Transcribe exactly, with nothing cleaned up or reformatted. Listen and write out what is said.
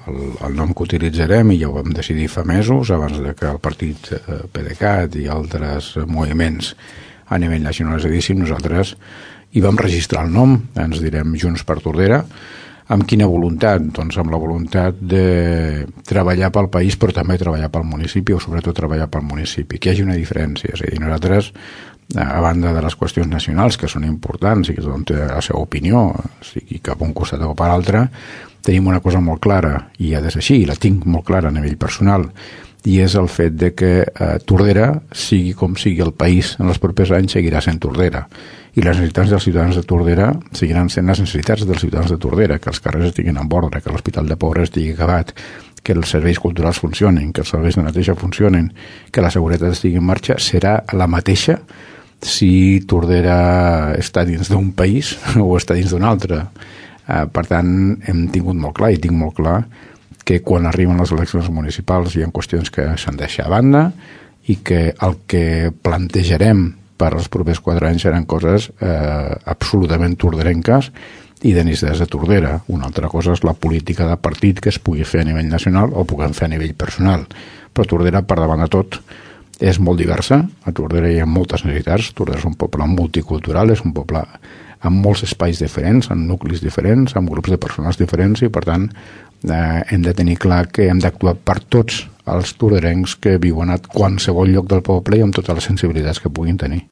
el, el nom que utilitzarem, i ja ho vam decidir fa mesos, abans de que el partit PDeCAT i altres moviments a nivell nacional es dedissin, nosaltres hi vam registrar el nom, ens direm Junts per Tordera. Amb quina voluntat? Doncs amb la voluntat de treballar pel país, però també treballar pel municipi, o sobretot treballar pel municipi, que hi hagi una diferència. És a dir, nosaltres, a banda de les qüestions nacionals, que són importants i que tothom té la seva opinió, sigui cap un costat o per l'altre, tenim una cosa molt clara, i ha de ser així, i la tinc molt clara a nivell personal, i és el fet de que eh, Tordera, sigui com sigui el país en els propers anys, seguirà sent Tordera. I les necessitats dels ciutadans de Tordera seguiran sent les necessitats dels ciutadans de Tordera, que els carrers estiguin en ordre, que l'Hospital de Pobres estigui acabat, que els serveis culturals funcionin, que els serveis de neteja funcionin, que la seguretat estigui en marxa, serà la mateixa si Tordera està dins d'un país o està dins d'un altre. Eh, per tant, hem tingut molt clar, i tinc molt clar, que quan arriben les eleccions municipals hi ha qüestions que s'han de deixar a banda i que el que plantejarem per als propers quatre anys seran coses eh, absolutament torderenques i de necessitats de Tordera. Una altra cosa és la política de partit que es pugui fer a nivell nacional o puguem fer a nivell personal. Però Tordera, per davant de tot, és molt diversa. A Tordera hi ha moltes necessitats. Tordera és un poble multicultural, és un poble amb molts espais diferents, amb nuclis diferents, amb grups de persones diferents, i per tant eh, hem de tenir clar que hem d'actuar per tots els torderencs que viuen a qualsevol lloc del poble i amb totes les sensibilitats que puguin tenir.